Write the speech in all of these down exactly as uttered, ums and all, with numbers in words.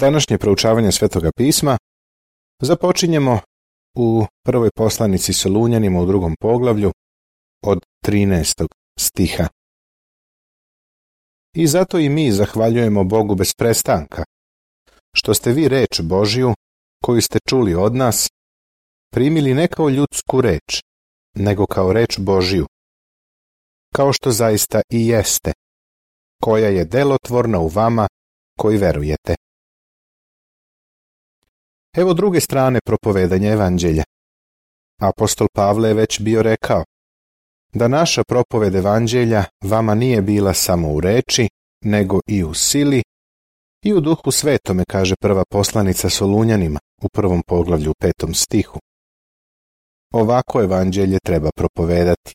Današnje proučavanje Svetoga pisma započinjemo u prvoj poslanici Solunjanima u drugom poglavlju od trinaestog stiha. I zato i mi zahvaljujemo Bogu bez prestanka, što ste vi reč Božju, koju ste čuli od nas, primili ne kao ljudsku reč, nego kao reč Božju, kao što zaista i jeste, koja je delotvorna u vama koji verujete. Evo druge strane propovedanja evanđelja. Apostol Pavle je već bio rekao da naša propoved evanđelja vama nije bila samo u reči, nego i u sili i u duhu svetome, kaže prva poslanica Solunjanima u prvom poglavlju u petom stihu. Ovako evanđelje treba propovedati.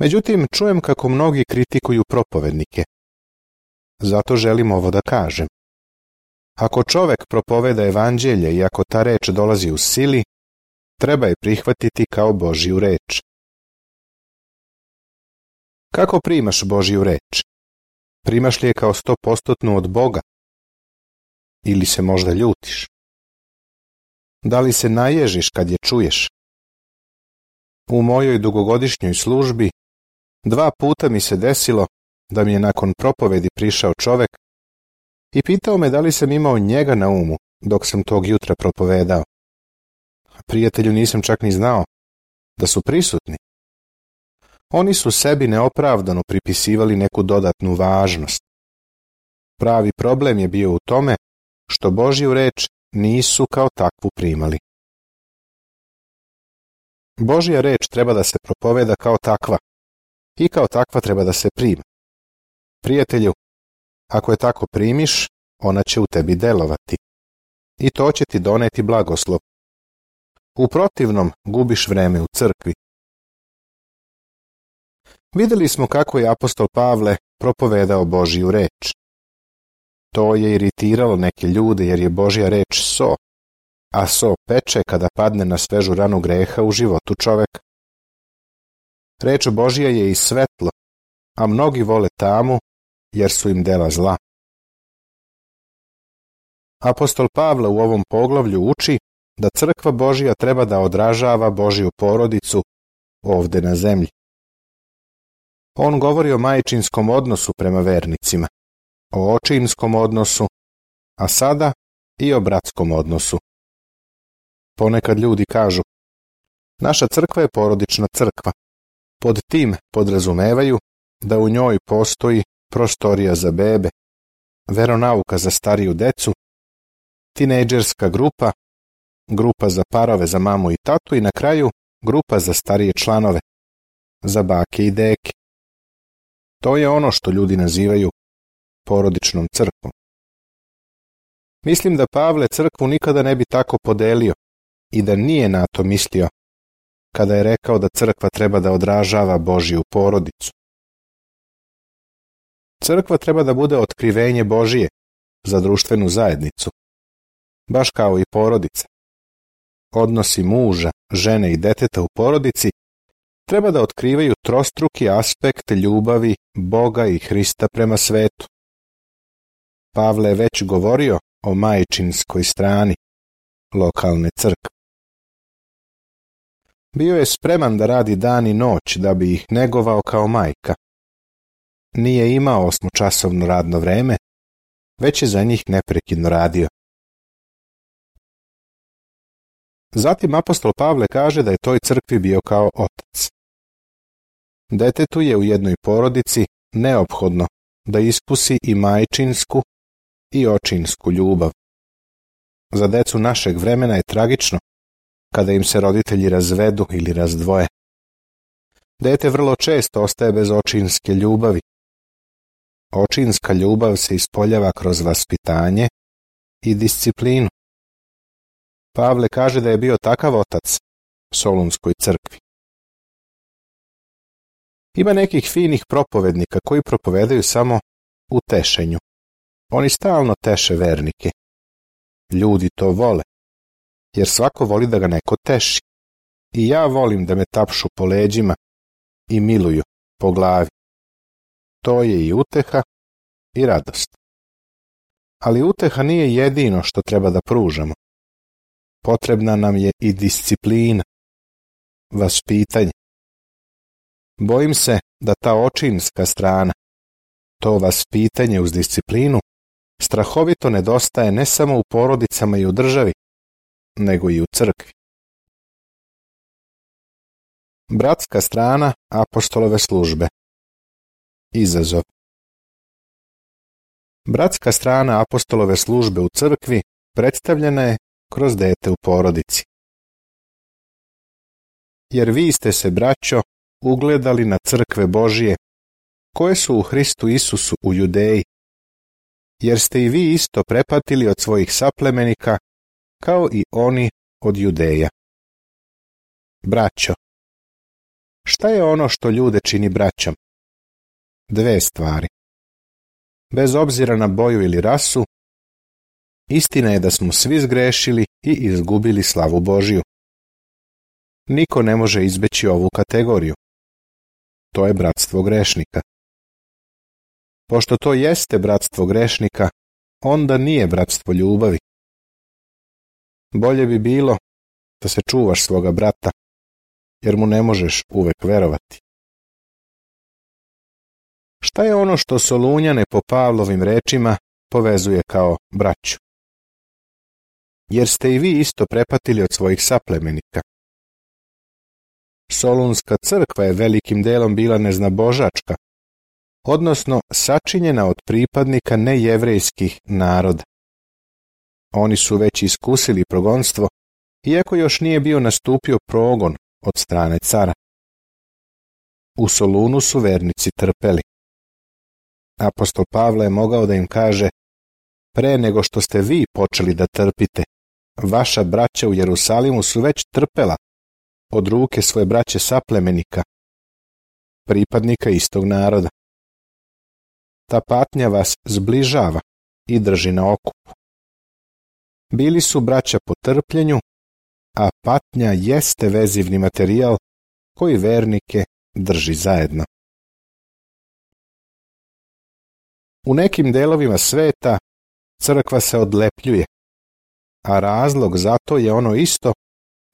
Međutim, čujem kako mnogi kritikuju propovednike. Zato želim ovo da kažem. Ako čovek propoveda evanđelje i ako ta reč dolazi u sili, treba je prihvatiti kao Božju reč. Kako primaš Božju reč? Primaš li je kao stopostotnu od Boga? Ili se možda ljutiš? Da li se naježiš kad je čuješ? U mojoj dugogodišnjoj službi dva puta mi se desilo da mi je nakon propovedi prišao čovek i pitao me da li sam imao njega na umu dok sam tog jutra propovedao. Prijatelju, nisam čak ni znao da su prisutni. Oni su sebi neopravdano pripisivali neku dodatnu važnost. Pravi problem je bio u tome što Božju reč nisu kao takvu primali. Božja reč treba da se propoveda kao takva i kao takva treba da se prima. Prijatelju, ako je tako primiš, ona će u tebi delovati i to će ti doneti blagoslov. U protivnom gubiš vreme u crkvi. Vidjeli smo kako je apostol Pavle propovedao Božju reč. To je iritiralo neke ljude jer je Božja reč so, a so peče kada padne na svežu ranu greha u životu čoveka. Reč Božja je i svetlo, a mnogi vole tamu jer su im dela zla. Apostol Pavle u ovom poglavlju uči da crkva Božja treba da odražava Božju porodicu ovde na zemlji. On govori o majčinskom odnosu prema vernicima, o očinskom odnosu, a sada i o bratskom odnosu. Ponekad ljudi kažu, naša crkva je porodična crkva. Pod tim podrazumevaju da u njoj postoji prostorija za bebe, veronauka za stariju decu, tinejdžerska grupa, grupa za parove za mamu i tatu i na kraju grupa za starije članove, za bake i deke. To je ono što ljudi nazivaju porodičnom crkvom. Mislim da Pavle crkvu nikada ne bi tako podelio i da nije na to mislio kada je rekao da crkva treba da odražava Božju porodicu. Crkva treba da bude otkrivenje Božije za društvenu zajednicu, baš kao i porodica. Odnosi muža, žene i deteta u porodici treba da otkrivaju trostruki aspekt ljubavi Boga i Hrista prema svetu. Pavle je već govorio o majčinskoj strani lokalne crkve. Bio je spreman da radi dan i noć da bi ih negovao kao majka. Nije imao osmočasovno radno vreme, već je za njih neprekidno radio. Zatim apostol Pavle kaže da je toj crkvi bio kao otac. Detetu je u jednoj porodici neophodno da iskusi i majčinsku i očinsku ljubav. Za decu našeg vremena je tragično kada im se roditelji razvedu ili razdvoje. Dete vrlo često ostaje bez očinske ljubavi. Očinska ljubav se ispoljava kroz vaspitanje i disciplinu. Pavle kaže da je bio takav otac Solunskoj crkvi. Ima nekih finih propovednika koji propovedaju samo u tešenju. Oni stalno teše vernike. Ljudi to vole, jer svako voli da ga neko teši. I ja volim da me tapšu po leđima i miluju po glavi. To je i uteha i radost. Ali uteha nije jedino što treba da pružamo. Potrebna nam je i disciplina, vaspitanje. Bojim se da ta očinska strana, to vaspitanje uz disciplinu, strahovito nedostaje ne samo u porodicama i u državi, nego i u crkvi. Bratska strana apostolove službe. Izazov. Bratska strana apostolove službe u crkvi predstavljena je kroz dete u porodici. Jer vi ste se, braćo, ugledali na crkve Božije, koje su u Hristu Isusu u Judeji, jer ste i vi isto prepatili od svojih saplemenika, kao i oni od Judeja. Braćo. Šta je ono što ljude čini braćom? Dve stvari. Bez obzira na boju ili rasu, istina je da smo svi zgrešili i izgubili slavu Božiju. Niko ne može izbeći ovu kategoriju. To je bratstvo grešnika. Pošto to jeste bratstvo grešnika, onda nije bratstvo ljubavi. Bolje bi bilo da se čuvaš svoga brata, jer mu ne možeš uvek verovati. Šta je ono što Solunjane po Pavlovim rečima povezuje kao braću? Jer ste i vi isto prepatili od svojih saplemenika. Solunska crkva je velikim delom bila neznabožačka, odnosno sačinjena od pripadnika nejevrejskih naroda. Oni su već iskusili progonstvo, iako još nije bio nastupio progon od strane cara. U Solunu su vernici trpeli. Apostol Pavle je mogao da im kaže: pre nego što ste vi počeli da trpite, vaša braća u Jerusalimu su već trpela od ruke svoje braće saplemenika, pripadnika istog naroda. Ta patnja vas zbližava i drži na okupu. Bili su braća po trpljenju, a patnja jeste vezivni materijal koji vernike drži zajedno. U nekim delovima sveta crkva se odlepljuje, a razlog za to je ono isto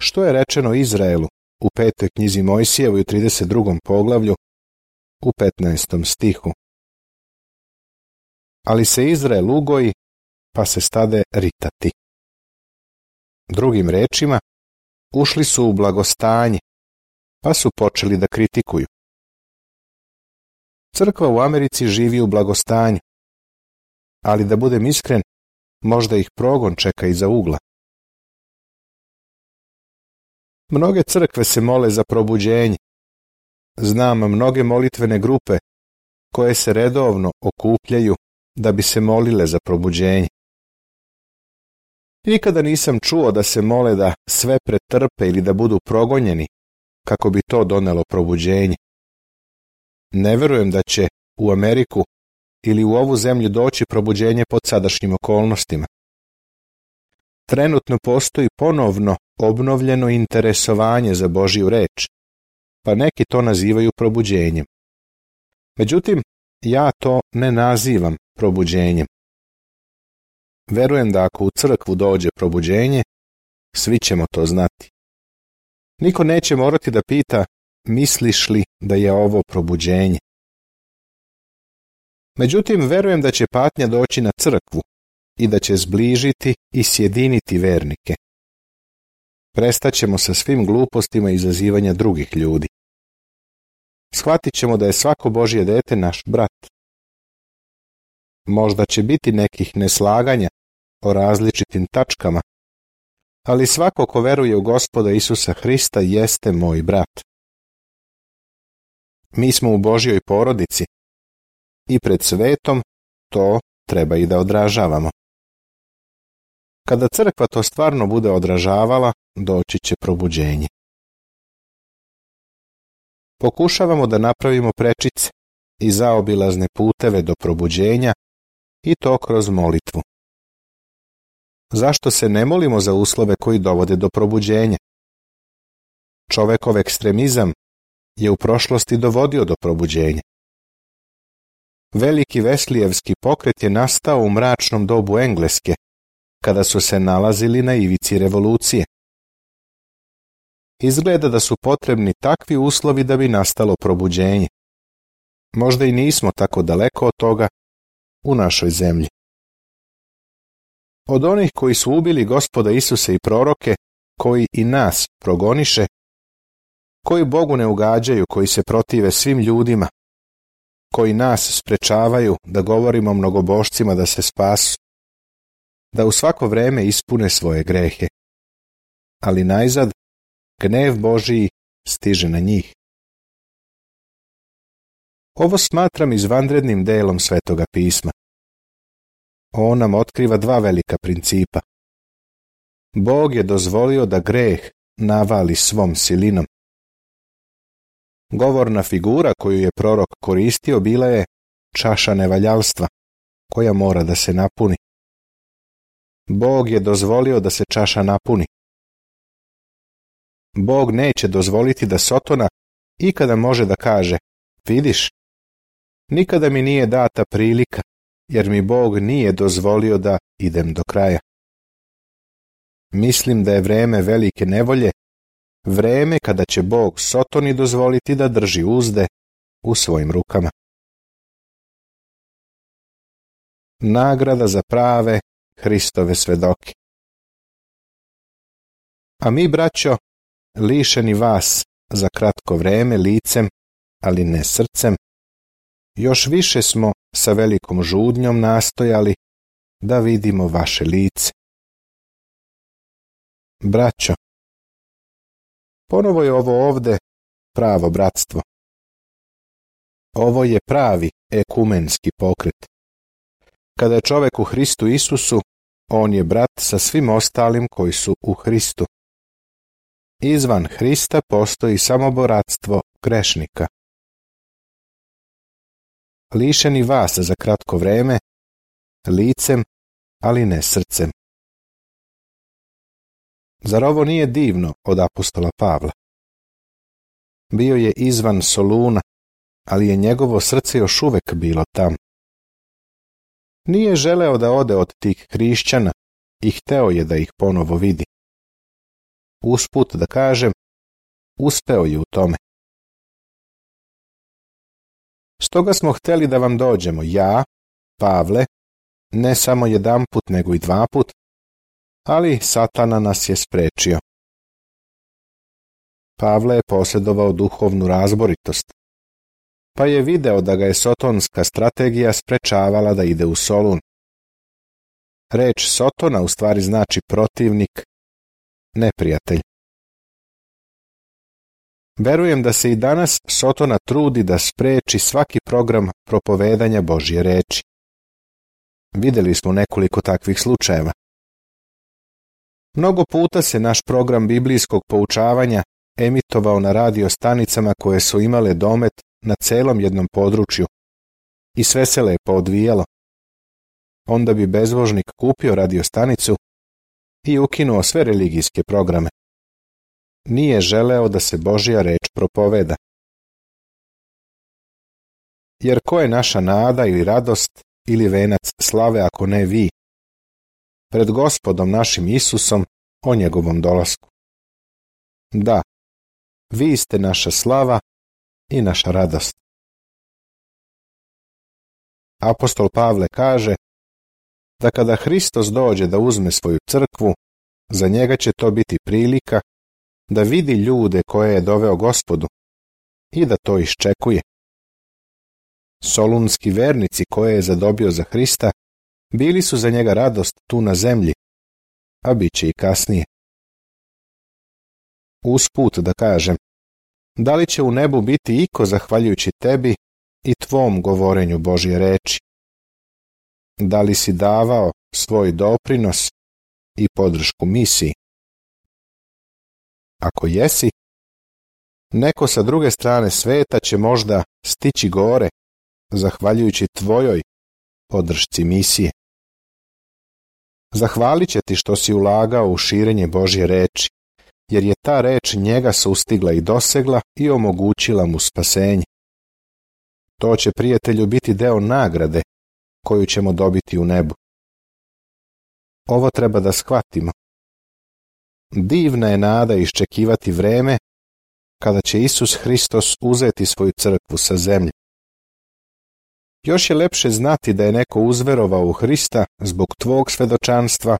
što je rečeno Izraelu u petoj knjizi Mojsijevoj u trideset drugom poglavlju u petnaestom stihu. Ali se Izrael ugoji, pa se stade ritati. Drugim rečima, ušli su u blagostanje, pa su počeli da kritikuju. Crkva u Americi živi u blagostanju, ali da budem iskren, možda ih progon čeka iza ugla. Mnoge crkve se mole za probuđenje. Znam mnoge molitvene grupe koje se redovno okupljaju da bi se molile za probuđenje. Nikada nisam čuo da se mole da sve pretrpe ili da budu progonjeni kako bi to donelo probuđenje. Ne verujem da će u Ameriku ili u ovu zemlju doći probuđenje pod sadašnjim okolnostima. Trenutno postoji ponovno obnovljeno interesovanje za Božju reč, pa neki to nazivaju probuđenjem. Međutim, ja to ne nazivam probuđenjem. Verujem da ako u crkvu dođe probuđenje, svi ćemo to znati. Niko neće morati da pita: misliš li da je ovo probuđenje? Međutim, verujem da će patnja doći na crkvu i da će zbližiti i sjediniti vernike. Prestaćemo sa svim glupostima izazivanja drugih ljudi. Shvatit ćemo da je svako Božje dete naš brat. Možda će biti nekih neslaganja o različitim tačkama, ali svako ko veruje u Gospoda Isusa Hrista jeste moj brat. Mi smo u Božjoj porodici i pred svetom to treba i da odražavamo. Kada crkva to stvarno bude odražavala, doći će probuđenje. Pokušavamo da napravimo prečice i zaobilazne puteve do probuđenja i to kroz molitvu. Zašto se ne molimo za uslove koji dovode do probuđenja? Čovekov ekstremizam je u prošlosti dovodio do probuđenja. Veliki veslijevski pokret je nastao u mračnom dobu Engleske, kada su se nalazili na ivici revolucije. Izgleda da su potrebni takvi uslovi da bi nastalo probuđenje. Možda i nismo tako daleko od toga u našoj zemlji. Od onih koji su ubili Gospoda Isusa i proroke, koji i nas progoniše, koji Bogu ne ugađaju, koji se protive svim ljudima, koji nas sprečavaju da govorimo mnogobošcima da se spasu, da u svako vreme ispune svoje grehe. Ali najzad, gnev Božiji stiže na njih. Ovo smatram izvanrednim delom Svetoga pisma. On nam otkriva dva velika principa. Bog je dozvolio da greh navali svom silinom. Govorna figura koju je prorok koristio bila je čaša nevaljalstva, koja mora da se napuni. Bog je dozvolio da se čaša napuni. Bog neće dozvoliti da Sotona ikada može da kaže: vidiš, nikada mi nije data prilika, jer mi Bog nije dozvolio da idem do kraja. Mislim da je vreme velike nevolje, vreme kada će Bog Sotoni dozvoliti da drži uzde u svojim rukama. Nagrada za prave Hristove svedoke. A mi, braćo, lišeni vas za kratko vreme licem, ali ne srcem, još više smo sa velikom žudnjom nastojali da vidimo vaše lice. Braćo, ponovo je ovo ovde pravo bratstvo. Ovo je pravi ekumenski pokret. Kada je čovek u Hristu Isusu, on je brat sa svim ostalim koji su u Hristu. Izvan Hrista postoji samo bratstvo grešnika. Lišeni vas za kratko vreme, licem, ali ne srcem. Zar ovo nije divno od apostola Pavla? Bio je izvan Soluna, ali je njegovo srce još uvek bilo tam. Nije želeo da ode od tih hrišćana i hteo je da ih ponovo vidi. Usput da kažem, uspeo je u tome. Stoga smo hteli da vam dođemo, ja, Pavle, ne samo jedanput nego i dvaput, ali Satana nas je sprečio. Pavle je posjedovao duhovnu razboritost, pa je video da ga je sotonska strategija sprečavala da ide u Solun. Reč Sotona u stvari znači protivnik, neprijatelj. Verujem da se i danas Sotona trudi da spreči svaki program propovedanja Božje reči. Videli smo nekoliko takvih slučajeva. Mnogo puta se naš program biblijskog poučavanja emitovao na radio stanicama koje su imale domet na celom jednom području i sve se lepo odvijalo. Onda bi bezbožnik kupio radio stanicu i ukinuo sve religijske programe. Nije želeo da se Božja reč propoveda. Jer ko je naša nada ili radost ili venac slave ako ne vi? Pred Gospodom našim Isusom o njegovom dolasku. Da, vi ste naša slava i naša radost. Apostol Pavle kaže da kada Hristos dođe da uzme svoju crkvu, za njega će to biti prilika da vidi ljude koje je doveo Gospodu i da to iščekuje. Solunski vernici koje je zadobio za Hrista bili su za njega radost tu na zemlji, a bit će i kasnije. Usput da kažem, da li će u nebu biti iko zahvaljujući tebi i tvom govorenju Božje reči? Da li si davao svoj doprinos i podršku misiji? Ako jesi, neko sa druge strane sveta će možda stići gore, zahvaljujući tvojoj podršci misije. Zahvalit će ti što si ulagao u širenje Božje reči, jer je ta reč njega sustigla i dosegla i omogućila mu spasenje. To će, prijatelju, biti deo nagrade koju ćemo dobiti u nebu. Ovo treba da shvatimo. Divna je nada iščekivati vreme kada će Isus Hristos uzeti svoju crkvu sa zemlje. Još je lepše znati da je neko uzverovao u Hrista zbog tvog svedočanstva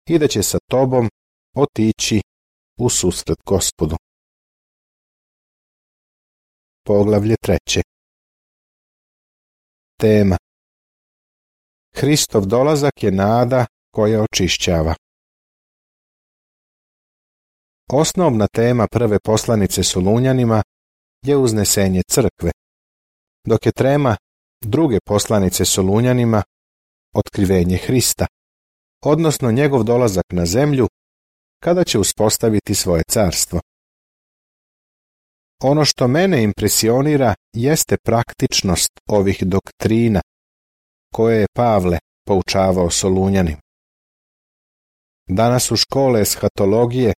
i da će sa tobom otići u susret Gospodu. Poglavlje treće. Tema: Hristov dolazak je nada koja očišćava. Osnovna tema prve poslanice Solunjanima je uznesenje crkve, dok je tema druge poslanice Solunjanima otkrivenje Hrista, odnosno njegov dolazak na zemlju kada će uspostaviti svoje carstvo. Ono što mene impresionira jeste praktičnost ovih doktrina koje je Pavle poučavao Solunjanima. Danas su škole eshatologije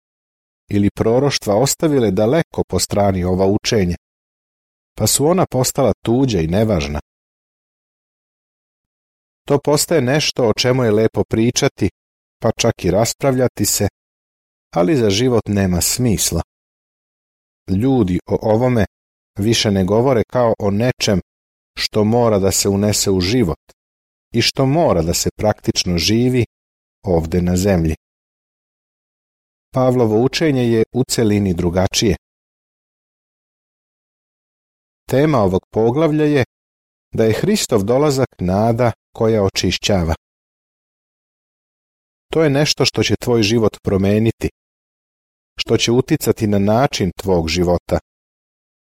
ili proroštva ostavile daleko po strani ova učenja, pa su ona postala tuđa i nevažna. To postaje nešto o čemu je lepo pričati, pa čak i raspravljati se, ali za život nema smisla. Ljudi o ovome više ne govore kao o nečem što mora da se unese u život i što mora da se praktično živi ovde na zemlji. Pavlovo učenje je u celini drugačije. Tema ovog poglavlja je da je Hristov dolazak nada koja očišćava. To je nešto što će tvoj život promeniti, što će uticati na način tvog života,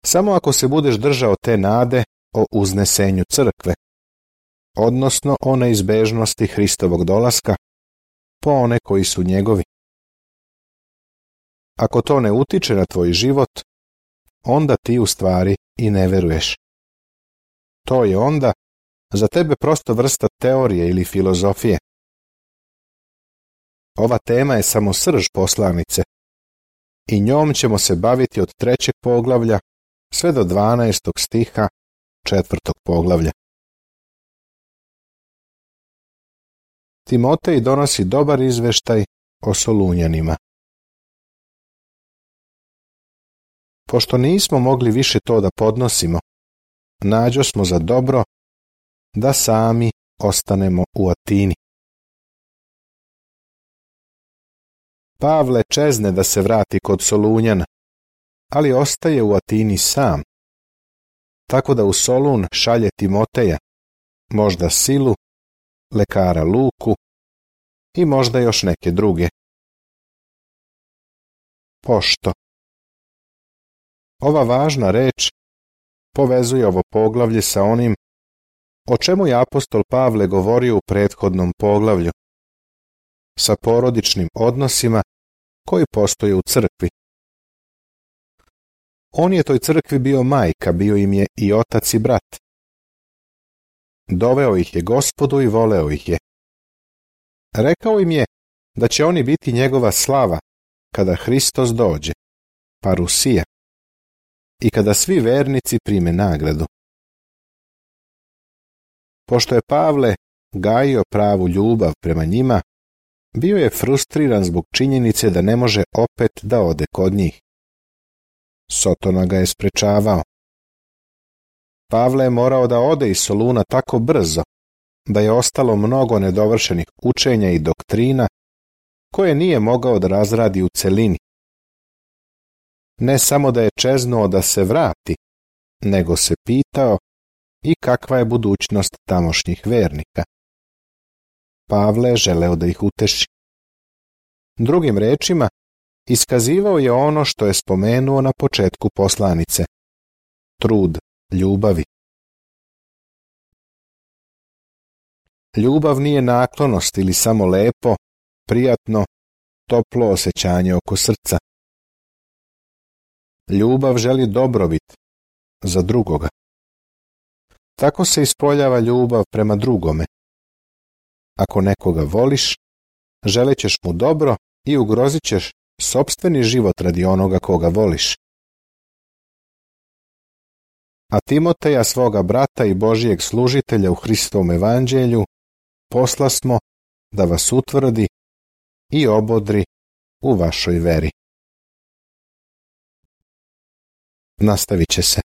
samo ako se budeš držao te nade o uznesenju crkve, odnosno o neizbežnosti Hristovog dolaska po one koji su njegovi. Ako to ne utiče na tvoj život, onda ti u stvari i ne veruješ. To je onda za tebe prosto vrsta teorije ili filozofije. Ova tema je samo srž poslanice i njom ćemo se baviti od trećeg poglavlja sve do dvanaestog stiha četvrtog poglavlja. Timotej donosi dobar izveštaj o Solunjanima. Pošto nismo mogli više to da podnosimo, nađo smo za dobro da sami ostanemo u Atini. Pavle čezne da se vrati kod Solunjana, ali ostaje u Atini sam, tako da u Solun šalje Timoteja, možda Silu, lekara Luku i možda još neke druge. Pošto. Ova važna reč povezuje ovo poglavlje sa onim o čemu je apostol Pavle govorio u prethodnom poglavlju, sa porodičnim odnosima koji postoje u crkvi. On je toj crkvi bio majka, bio im je i otac i brat. Doveo ih je Gospodu i voleo ih je. Rekao im je da će oni biti njegova slava kada Hristos dođe, parusija, i kada svi vernici prime nagradu. Pošto je Pavle gajio pravu ljubav prema njima, bio je frustriran zbog činjenice da ne može opet da ode kod njih. Sotona ga je sprečavao. Pavle je morao da ode iz Soluna tako brzo da je ostalo mnogo nedovršenih učenja i doktrina koje nije mogao da razradi u celini. Ne samo da je čeznuo da se vrati, nego se pitao i kakva je budućnost tamošnjih vernika. Pavle je želeo da ih uteši. Drugim rečima, iskazivao je ono što je spomenuo na početku poslanice. Trud ljubavi. Ljubav nije naklonost ili samo lepo, prijatno, toplo osjećanje oko srca. Ljubav želi dobrobit za drugoga. Tako se ispoljava ljubav prema drugome. Ako nekoga voliš, želećeš mu dobro i ugrozit ćeš sopstveni život radi onoga koga voliš. a Timoteja svoga brata i Božijeg služitelja u Hristovom evanđelju poslasmo da vas utvrdi i obodri u vašoj veri. Nastavit će se.